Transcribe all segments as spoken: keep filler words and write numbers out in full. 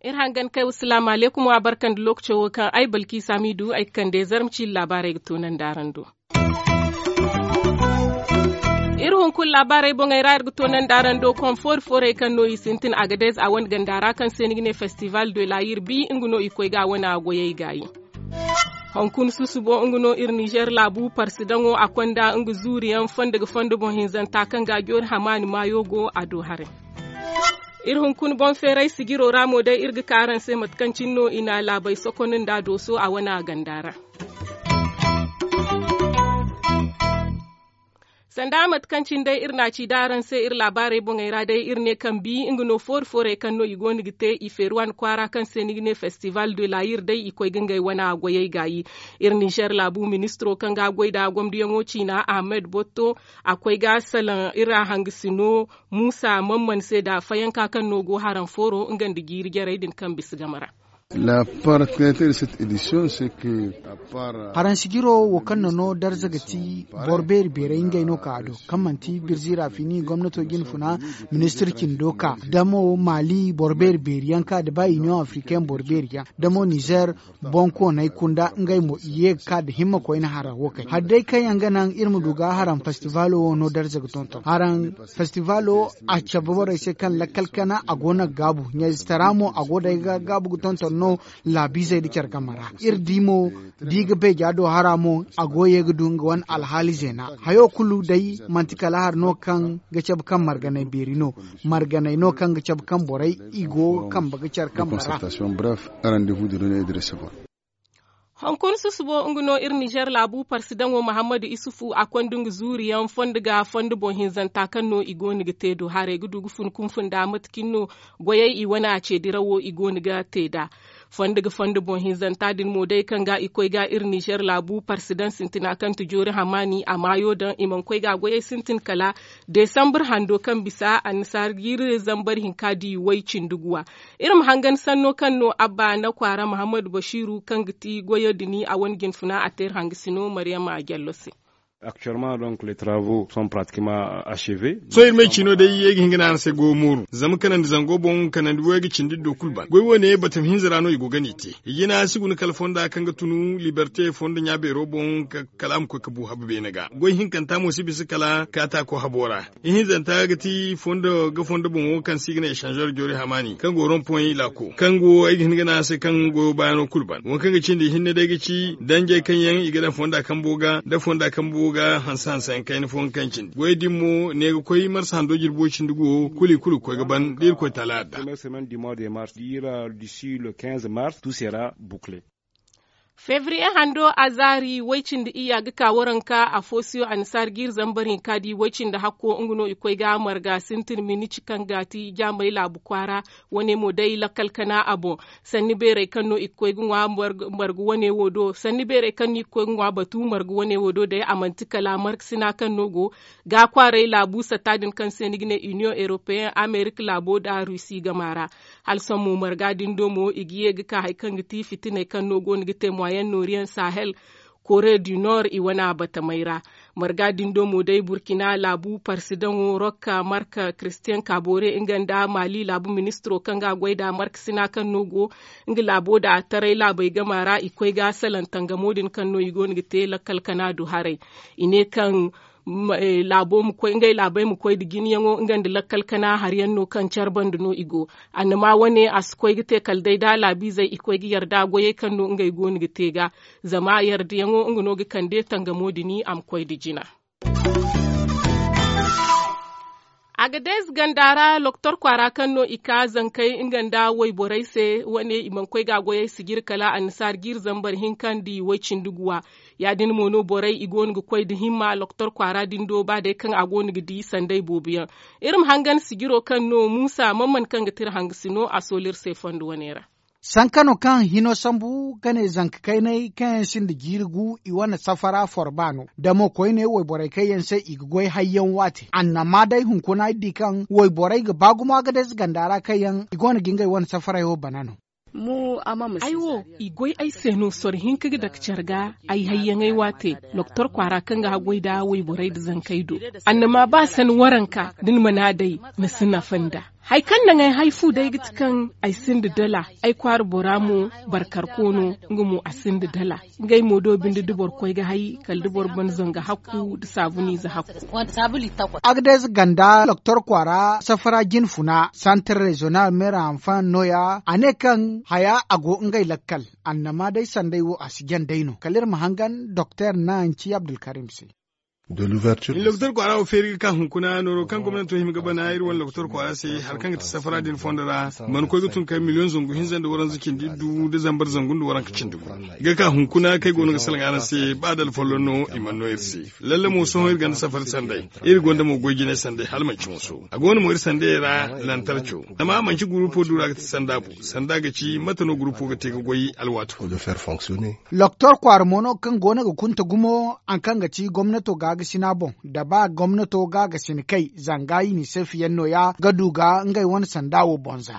Iri hangan kay wa salaamu aleykum wa barka nda lookaco wo kaŋ ay balki saamiidu ay ga kande zarma ciiri laabaarey ga toonandi araŋ do. Iri hunkuna laabaarey boŋey ra iri ga toonandi araŋ do konfoori foorey kaŋ no i sintin agadez a wane ganda ra kaŋ se ni ga ne festival de la yirbi nga no i koy ga a wane a goyey gaayi. Hunkuna susubo nga no iri nizer laabu parsidaŋo a konda nga zuuriyaŋ fondo ga fondo boŋ hinzanta kaŋ ga a joori hamaani maayo go a do haray. Iri hunkuna boŋ feeray sijiro ra mo day iri ga ka araŋ se mate kaŋ cine no i na laabey sokonda nda dooso a wane a ganda ra. Sanda mate kaŋ cine day iri na a ci da araŋ se iri laabaarey boŋey ra day iri ne kaŋ bi nga no foori foorey kaŋ no i go no ga te i feeri wane kwaara kaŋ se ni ga ne festival de la yir day i koy ga ngey wane a goyey gaayi. Iri nizer laabu ministiro kaŋ ga a goy nda gomdiyaŋo ciina ahmed botto a koy ga salaŋ iri a hangasino muusa mamman se nda fayanka kaŋ no go haraŋ fooro nga nda jiiri jarey din kaŋ bisa game ra. Haraŋ sijiro wo kaŋ na no darza ga ti boro beeri beerey ngey no ka a do kaŋ manti birzi rafini gomnato jinfuna ministir cindo ka damo mali boro beeri beeri yaŋ ka da ba iniyoŋ afrikain boro beeri yaŋ damo nizer bonkooney kunda ngey mo i ye ga ka nda himma koyne hara wo kay hari day kaŋ yaŋ ga naŋ iri ma du ga haraŋ festivalo wo no darza ga tonton haraŋ festivalo a cabe borey se kaŋ lakkal kana a go no ga gaabu ɲayzitara mo a go day ga gaabu ga tonton no laabiizey nda care game ra iri di mo da i ga beeja do hara mo a go ye ga du nga wane alhaali zeena hayo kulu day manti kala hari no kaŋ ga cabe kaŋ marganay beeri no marganay no kaŋ ga cabe kaŋ borey i go kambe ga care kambe ra. Hunkuna susubo nga no iri nizer laabu parsidaŋo muhammadu isufu a konda nga zuuriyaŋ fondo ga fondo boŋ hinzanta kaŋ no i go no ga te do haray ga du ga fun kunfun nda mate cine no goyey i wane a ce dirawo i go no ga te nd'a. Fondo ga fondo boŋ hinzanta din mo day kaŋ ga i koy ga iri nizer laabu parsidaŋ sintina kaŋ ti joori hamaani a maayo daŋ i mana koy ga goyey sintin kala desambur hando kaŋ bisa annasaara jiiri zambar hinka di way cindi guwa. Iri ma hangan sanno kaŋ no abba na kwaara muhammadu basiiru kaŋ ga ti goyo dini a wane jinfuna a te iri hangasino maryama jallo se. Actuellement donc les travaux sont pratiquement achevés. Sohõ iri ma ay ciino day ay ga hin ga ne araŋ se goyo mooru zama kanandi zango boŋ kanandi wo ay ga cindi do kulu ban goy wo- ne batama hinza ra no i go ga n'i te. I jina si guna kala fonda kaŋ ga tunu liberte fondo ɲa beero boŋ kala a ma koy ga bu habu beene ga goy hinkanta mo si bisa kala kaataako habo ra. Ihinzanta ga ti fondo ga fondo boŋo kaŋ se i ga ne echanzor joori hamaani kaŋ go rompoy laako kaŋ go ay ga hin ga ne a se kaŋ goyo baayano kulu ban waŋ kaŋ ga cindi ihinne day ga ci danjey kaŋ yaŋ i ga daŋ fonda kambo ga nda fonda kambo ga hanse hanse yaŋ kayna fooyaŋ kaŋ cindi goyo din mo ne ga koy marsa hando jirbo cindi go kulu i kulu ga koy ga ban da irkoy taala adda. Fevriye hando a zaari way cindi iyya ga ka waranka a foosiyo annasaara jiiri zambar hinka di way cindi hakko nga no i koy ga marga sintin minici kaŋ ga ti jaamay laabu kwaara wane mo day lakkal kana a boŋ. Sanni beerey kaŋ no i ga koy ga ŋwa marga wane wo do sanni beerey kaŋ no i ga koy ga ŋwa batu marga wane wo do day a manti kala marga sina kaŋ no go ga kwaaray laabu satta din kaŋ se ni ga ne iniyoŋ europeyen amerika laabo nda rusi gama ra. Hala sohõ mo marga din do mo i ga ye ga ka hari kaŋ ga ti fitiney kaŋ no go no ga te moyen noriyaŋ sahel kore du nord i wane a batamey ra. Marga din do mo day burkina laabu parsidaŋo rokka marka christian kabore nga nda mali laabu ministiro kaŋ ga a goy nda marka sina kaŋ no go nga laabo nda taray laabey gama ra i koy ga salaŋ tangamo din kaŋ no i go no ga te lakkal kana du haray. I ne kaŋ laabo ma koy ngey laabey ma koy nda jinayaŋo nga nda lakkal kana hari yaŋ no kaŋ care banda no i go. Annama wane a si koy ga te kala day da laabiizey i koy ga yarda goyey kaŋ no ngey go no ga te ga zama yardayaŋo nga no ga kande tangamo din a ma koy nda jina. Agadez ganda ra loktor kwaara kaŋ no i ka zankey nga nda wayborey se wane i mana koy ga goyey sijir kala annasaara jiiri zambar hinka nda way cindi guwa. Ya- din mo no borey i go no ga koy nda himma loktor kwaara din do ba day kaŋ a go no ga di sanday boobo yaŋ. Iri ma hangan sijiro kaŋ no muusa man man kaŋ ga ti iri hangasino a soolu iri se fondo wane ra. Sanka no kaŋ hino sambu ga ne zanka kaynay kaŋ yaŋ sinda jiiri gu i wane safara forba no da mo koyne wayborey kaŋ yaŋ se i ga goy hayyaŋ waate annama day hunkuna iri di kaŋ wayborey ga ba gumo agadez ganda ra kaŋ yaŋ i go no ga ngey wane safaray wo bana no. Ay wo, i goy ay se no soro hinka ga dake care ga. Ay hayyaŋey waate, doktor kwaara kaŋ ga haggoy nda wayborey nda zankey do. Annama ba sani waranka da ni mana day, ni si nafa nd'a. Hari kaŋ naŋ ay hay fu day ga ti kaŋ ay sinda dala. Ay kwaara bora mo, barkarko no, nga mo a sinda dala. Ngey mo do binde da boro koy ga hay, kala da boro ban zanga hakku nda saabuniize hakku. Agades ganda doktor kwaara safara jinfuna santar rezonal meera hanfan nooya, a ne kaŋ haya a go ngey lakkal. Annama day sanday wo a si jan day no kala iri ma hangan doktor naŋ ci abdulkarim se. Doktor kwaara wo feeri ga ka hunkuna nooro kaŋ gomnanto hima ga bana iri wane doktor kwaara se hari kaŋ ga ti safara din fondo ra. Mana koy ga tun kay miliyoŋ zangu hinza nda waranza cindi iddu nda zambar zangu nda waranka cindi gu ga ka hunkuna kaŋ ay go no ga salaŋ araŋ se ba da alfolloŋ no i mana no iri se. Lalle mo sohõ iri gonda safari sanday. Iri gonda mo goy jinay sanday hala manci moso a go no mo iri sanday ra. Lantarco zama manci gurupo du ra ga ti sanda bu sanda ga ci mate no gurupo ga te ga goy alwaati kulu. Doktor kwaara mo no kaŋ go no ga kunta gumo hari kaŋ ga ti gomnato gaagasina boŋ da ba gomnato gaagasina kay zanga unicef yaŋ nooya ga du ga ngey wane sanda wo boŋ za.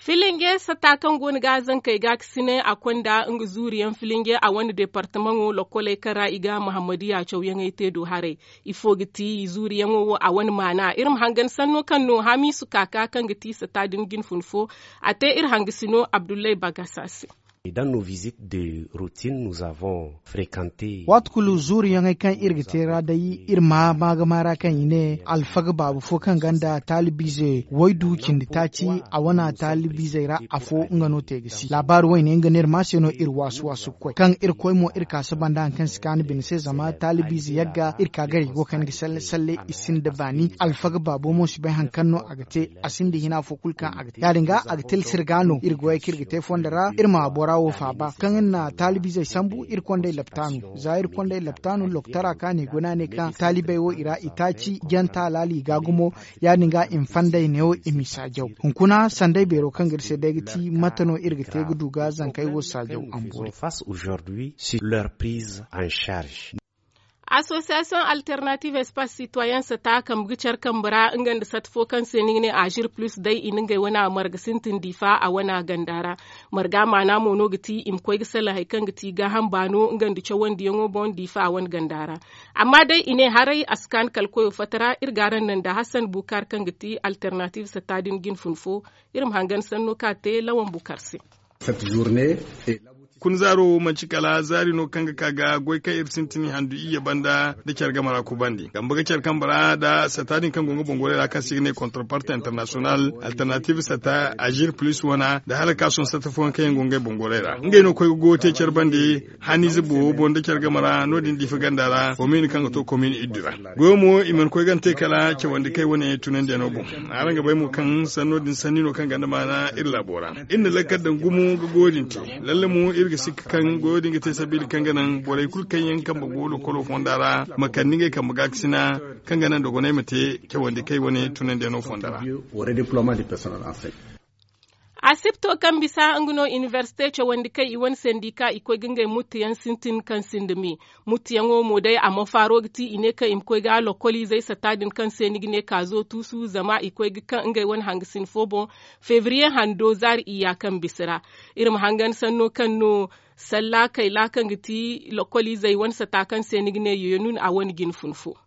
Filinge sata kaŋ go no ga zankey ga ga sine a konda nga zuuriyaŋ filinge a wane departamaŋo lokkoley kaŋ ra i ga muhammadiya cawyaŋey te do haray. Ifo ga ti i zuuriyaŋo wo a wane maana iri ma hangan sanno kaŋ no hamiisu kaaka kaŋ ga ti sata din jinfun fo. A te iri hangasino abdullahi bagasa se. Dans nos visites de routine nous avons fréquenté. Waati kulu zuuriyaŋey kaŋ iri ga te ra day iri ma maagama ra kaŋ i ne alfaga baabu fo kaŋ gonda taalibiize waydu cindi taaci. A wane taalibiizey ra afo nga no te ga si laabaari wayne nga no iri ma se no iri waasu waasu ga koy kaŋ iri koy mo iri ka saba nda hari kaŋ si kaanu bine se zama taalibiize yagga iri ka gar i go kayna ga salle salle i sinda baani alfaga baabo mo si bay hari kaŋ no a ga te. A sinda hina fo kulu kaŋ a ga te ya- din ga a ga tilsir ga no iri goyey kaŋ iri ga te fondo ra iri ma bora wo faaba kaŋ iri na taalibiizey sambu iri kondey laptaanu za iri kondey laptaanu loktara kaŋ a ne guna ne kaŋ taalibey wo i ra i taaci janta alaali i ga gumo. Ya- din ga i ma fandey neewo i m'i saajaw hunkuna sanday beero kaŋ ga iri se day ga ti mate no iri ga te ga du ga zankey wo saajaw a ma boori. Association alternative espace citoyen sata kambe ga care kambe ra nga nda sata fo kaŋ se ni ga ne azir plus day i na ngey wane marga sintin diifa a wane ganda ra. Marga maana mo no ga ti i ma koy ga salaŋ hari kaŋ ga ti gaaham baano nga nda cawandiyaŋo boŋ diifa a wane ganda ra. Amma day i ne haray a si kaanu kala koyo fatta ra iri ga araŋ naŋ nda hassan bukar kaŋ ga ti alternative sata din jinfun fo. Iri ma hangan sanno kaŋ a te lawan bukar se. Kuna zaaro wo manci kala zaari no kaŋ ga ka ga goy kaŋ iri sintin handu iyye banda nda care game ra kubandi kambe ga care kambe ra nda sata din kaŋ go nga bongorey ra kaŋ se i ga ne kontraparte international alternative sata azir plus wana nda hala ka sohõ sata fooyaŋ kaŋ yaŋ go ngey bongorey ra ngey no koy ga goyo te care bande. Haniize boobo boŋ nda care game ra no- din diifa ganda ra komin kaŋ ga to komin iddu ra. Goyo mo i mana koy gana te kala cawandi kay wane tunandiyaŋo boŋ. Araŋ ga bay mo kaŋ sanno din sanni no kaŋ ganda maana iri laabo ra. Iri na lakkal daŋ gumo ga goyo din te. Lalle mo iri ga sikka kaŋ goyo din ga te sabiila kaŋ ga naŋ borey kulu kaŋ yaŋ kambe go lokolo fonda ra ma kande ngey kambe gaakasina kaŋ ga naŋ dogonay ma te cawandi kay wane tunandiyaŋo fonda ra. Asipto kaŋ bisa nga no inibersite cawandi kaŋ i wane sendika i koy ga ngey muttuyaŋ sintin kaŋ sinda me. Muttuyaŋo mo day a mofaaro ga ti i ne kaŋ i ma koy ga lokoliizey satta din kaŋ se ni ga ne kaazo tuusu zama i koy ga kaŋ ngey wane hangasin fo boŋ. Febriye hando zaari iyya kaŋ bisa ra. Iri ma hangan sanno kaŋ no salla kayla kaŋ ga ti lokoliizey wane satta kaŋ se ni ga ne yoyonun a wane jine fun fo.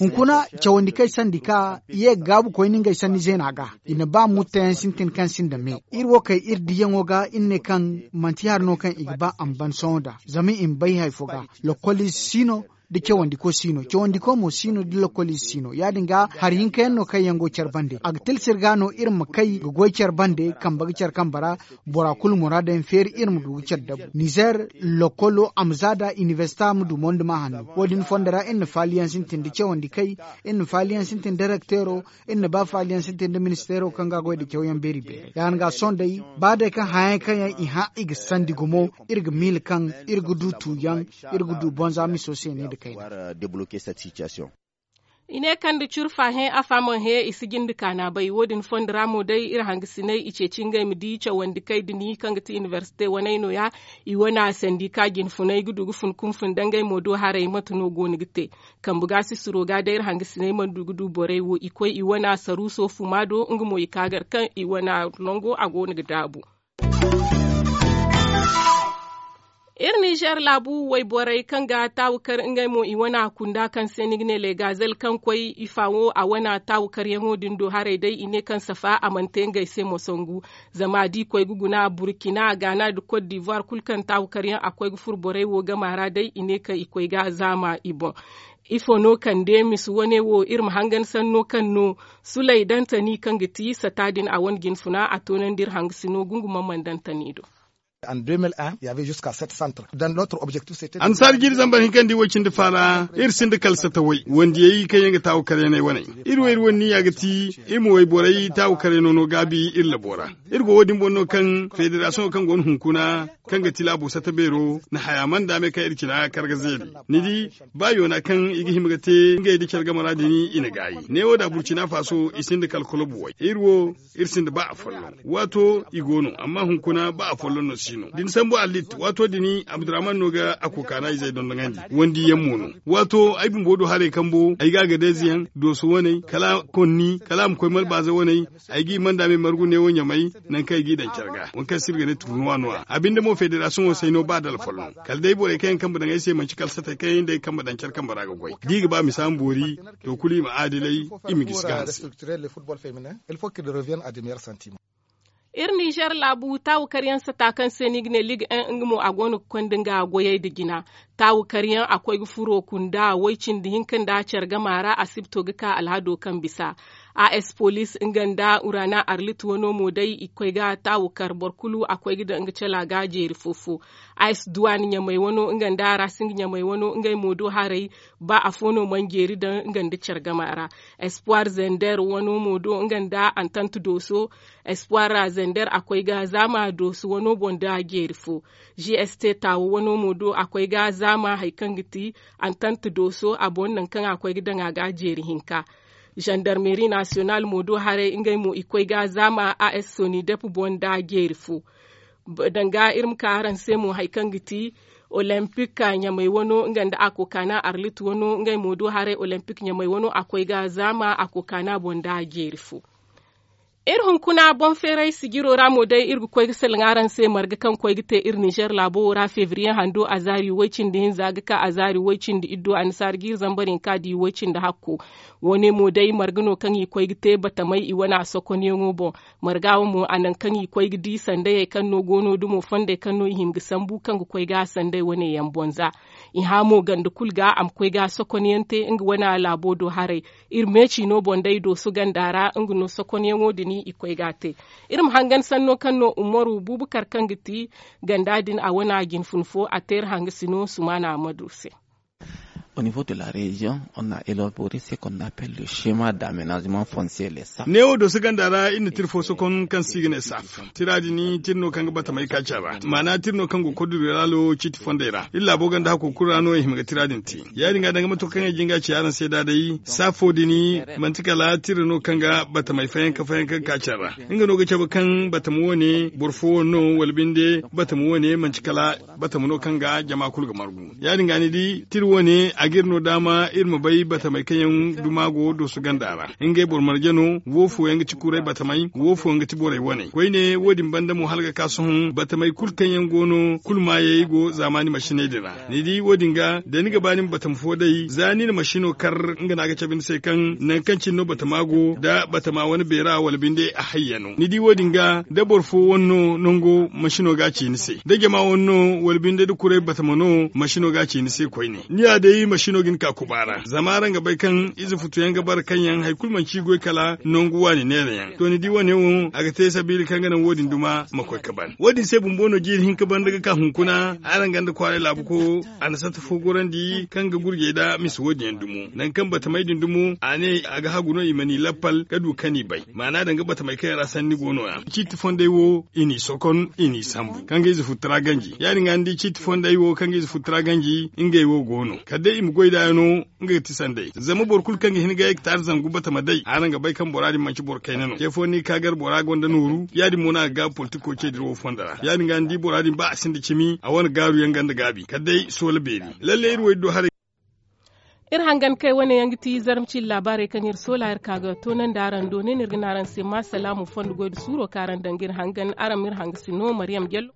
Hunkuna cawandi kaŋ ay sandi ka ye ga gaabu koyne ngey sanni zeena ga. I na ba mutteyaŋ sintin kaŋ sinda me iri wo kay iri diyaŋo ga iri ne kaŋ manti hari no kaŋ i ga ba a ma ban sohõ nd'a zama i ma bay hari fo ga. Lokoliize si no da cawandiko si no cawandiko mo si no da lokoliize si no ya- din ga hari hinka yaŋ no kaŋ yaŋ go care bande a ga tilsir ga no iri ma kay ga goy care bande kambe ga care kambe ra. Bora kulu muraada yaŋ feeri iri ma du ga care dabu nizer lokolo a ma za da inibersita ma du mondi ma hanno wo- din fondo ra iri na faaliyaŋ sintin da cawandi kay iri na faaliyaŋ sintin da direkteero. Iri na ba faaliyaŋ sintin da ministeero kaŋ ga goy da cawyaŋ beeri beeri ya- din ga sohõ day ba day kaŋ hayaŋ kaŋ yaŋ i hã i ga sandi gumo iri ga miila kaŋ iri ga du tuuyaŋ iri ga du bonza miso se ne nda kayna. I ne kaŋ nda curfa hẽ afa mana hẽ i si jinde kaana bay wo- din fondo ra mo day iri hangasiney i ceeci ngey ma di cawandi kay din kaŋ ga ti inibersite waney no- ya. I wane sandika jinfuney ga du ga fun kunfun da ngey mo do haray mate no go no ga te. Kambe ga sisiro ga day iri hangasiney mana du ga du borey wo i koy i wane saruuso fuma do nga mo i ka gar kaŋ i wane nango a go no ga daabu. Iri ninzeer laabu wayborey kaŋ ga taawu kar ngey mo i wane kunda kaŋ se ni ga ne legazel kaŋ koy i faawo a wane taawu karyaŋo din do haray day i ne kaŋ safa a mana te ngey se mo sangu. Zama da i koy ga guna burkina gaana nda kot divuwar kulu kaŋ taawu karyaŋ a koy ga furo borey wo gama ra day i ne kaŋ i koy ga zaama i boŋ. Ifo no kande misi wane wo iri ma hangan sanno kaŋ no sulay dantani kaŋ ga ti sata din a wane jinfuna a toonandi iri hangasino gungumaŋ mana dantani do. Annasaari jiiri zambar hinkandi way cindi faara iri sinda kala sata way wandiyey kaŋ yaŋ ga taawu karyaney waney. Iri wo iri wane niya ga ti iri ma wayborey taawu karyaney no gaabi iri labo ra. Iri go wo- din boŋ no kaŋ federasiyoŋo kaŋ go no hunkuna kaŋ ga ti laabo sata beero na haya mana daame kaŋ iri cina kar ga zeeri. Ni di ba yoona kaŋ i ga hima ga te ngey nda care game ra din i na gaayi neewo da burcina faaso i sinda kala kolobu way iri wo iri sinda ba afolloŋ. Waato i go no amma hunkuna ba afolloŋ no si no da ni sambu allit waato din abdurrahman no ga a kokaana izey dondoŋandi. Wandiyaŋ mo no waato ay bumbo do haray kambo ay ga a ga deezeyaŋ dooso waney kala konni kala a ma koy malbaaza waney. Ay g'i manda me margu neewo ɲamay nangu kaŋ ay g'i daŋ care ga waŋ kaŋ se iri ga ne turnuwa no- ya a binde mo federasiyoŋo say no ba dala folloŋ. Kala day borey kaŋ yaŋ kambe daŋ ay se manci kala satey kaŋ yaŋ day kambe daŋ care kambe ra ga goy da i ga ba misa ma boori. To kulu i ma aadilay i ma gisi ga hanse. Iri ninzeer laabu taawu karyaŋ sata kaŋ se no i ga ne liga en nga mo a go no ga konda nga goyey nda jina. Taawu karyaŋ a koy ga furo kunda way cindi hinka nda care gama ra asibto ga ka alhado kaŋ bisa. A s poliis nga nda urana arlit wano mo day i koy ga taawu kar boro kulu a koy ga daŋ nga cala ga jeeri fo-fo. A s duwaan ɲamay wano nga nda rasing ɲamay wano ngey mo do haray. Ba afo no mana jeeri daŋ nga nda care gama ra. Espoir zender wano mo do nga nda antant dooso. Espoir ra zender a koy ga zaama dooso wano boŋ da jeeri fo. G s t taawo wano mo do a koy ga zaama hari kaŋ ga ti antant dooso a boŋ nangu kaŋ a koy ga daŋ a ga jeeri hinka. Zandarmeri nasiyonal mo do haray ngey mo i koy ga zaama a s sonidep boŋ da jeeri fo. Danga iri ma ka araŋ se mo hari kaŋ ga ti olympik ɲamay wano nga nda a kokaana arlit wano ngey mo do haray olympik ɲamay wano a koy ga zaama a kokaana boŋ da jeeri fo. Iri hunkuna boŋ feeray sijiro ra mo day iri ga koy ga salaŋ araŋ se marga kaŋ koy ga te iri ninzeer laabo wo ra febriye hando azaari way cindi hinza ga ka azaari way cindi iddo annasaara jiiri zambar hinka di way cindi hakko. Wo- ne mo day marga no kaŋ i koy ga te batamey i wane a sokonyaŋo boŋ. Marga wo mo a nangu kaŋ i koy ga di sandayey kaŋ no go no dumo fondey kaŋ no i hima ga sambu kaŋ ga koy ga sanday wane yaŋ boŋ za. I hã mo ganda kulu ga a ma koy ga sokonyaŋ te nga wane laabo do haray. Iri meeci no boŋ day dooso ganda ra nga no sokonyaŋo din i koy ga a te. Iri ma hangan sanno kaŋ no umaru bubakar kaŋ ga ti ganda din a wane a jinfun fo a te iri hangasi no sumaana amadu se. Au niveau de la région, on a élaboré ce qu'on appelle le schéma d'aménagement foncier les saf. Neewo dooso ganda ra iri na tira fo sokon kaŋ se i ga ne saf. Tira din tira no kaŋ ga batamey kaaca ra maana tira no kaŋ go koduriraalo ciiti fondey ra iri laabo ganda hako kulu ra no i hima ga tira din te. Ya- din ga danga mato kaŋ ay jinga ci araŋ se da day saafo din manti kala tira no kaŋ ga batamey fayanka fayanka ga kaaca ra. Nga no ga cabe kaŋ batama wo- ne boro fo wo- no wala binde batama wo- ne manti kala batama no kaŋ ga jama kulu ga margu. Ya- din ga ni di tira wo- ne a ga iri no daama iri ma bay batamey kaŋ yaŋ duma go dooso ganda ra. Ngey boro marje no wo fooyaŋ ga ti kuray batamey wo fooyaŋ ga ti borey wane koyne wo- din banda mo hala ga ka sohõ batamey kulu kaŋ yaŋ go no kulu maayey go zaamaani masiney din ra. Ni di wo- din ga da ni ga ba ni ma batama fo day za ni na masino kar nga no a ga cabe ni se kaŋ nangu kaŋ cine no batama go da batama wane beera wala binde a hayyano ni di wo- din ga da boro fo wane no nango masino ga a ci ni se da jama wane no wala binde da kuray batama no masino ga a ci ni se koyne. Ni ya day masino ga ni ka kuba ra zama araŋ ga bay kaŋ ize futu yaŋ ga bara kaŋ yaŋ hari kulu manci i goy kala nangu waani neera yaŋ to ni di wane wo a ga te sabiila kaŋ ga naŋ wo- din duma ma koy ga ban wo- din se bumbo no jiiri hinka banda ga ka hunkuna araŋ ganda kwaaray laabu ko a na sata fo gorandi kaŋ ga gurjey nda misa wo- din yaŋ dumo nangu kaŋ batamey din dumo a ne a ga hagu no i ma ni lappal ga du kaŋ i bay maana danga batamey kaŋ yaŋ ra sanni go no- ya ciiti fondey wo i n'i sokon i n'i sambu kaŋ ga ize futu tara ganji ya- din ga ni di ciiti fondey wo kaŋ ga ize futu tara ganji ngey wo go no kala day Goy da yaŋ no nga ga ti sanday zama boro kulu kaŋ ga hin ga yay ga taari zangu batama day araŋ ga bay kaŋ bora din manti boro kayna no ce fo ni ga ka gar bora gonda nooru ya- din mo no a ga gaabu politiko ce dira wo fondo ra ya- din ga ni di bora din ba a sinda cimi a wane gaaru yaŋ ganda gaabi kala day soola beeri. Lalle iri wo iri do haray. Iri hangan kay wane yaŋ ga ti zarma ciiri laabaarey kaŋ iri soola iri ka ga toonandi araŋ do ne no iri ga ne araŋ se ma salaamu fondo goy nda suuro kaŋ araŋ daŋ ga iri hangan araŋ ma iri hanga si no mariyam jallo.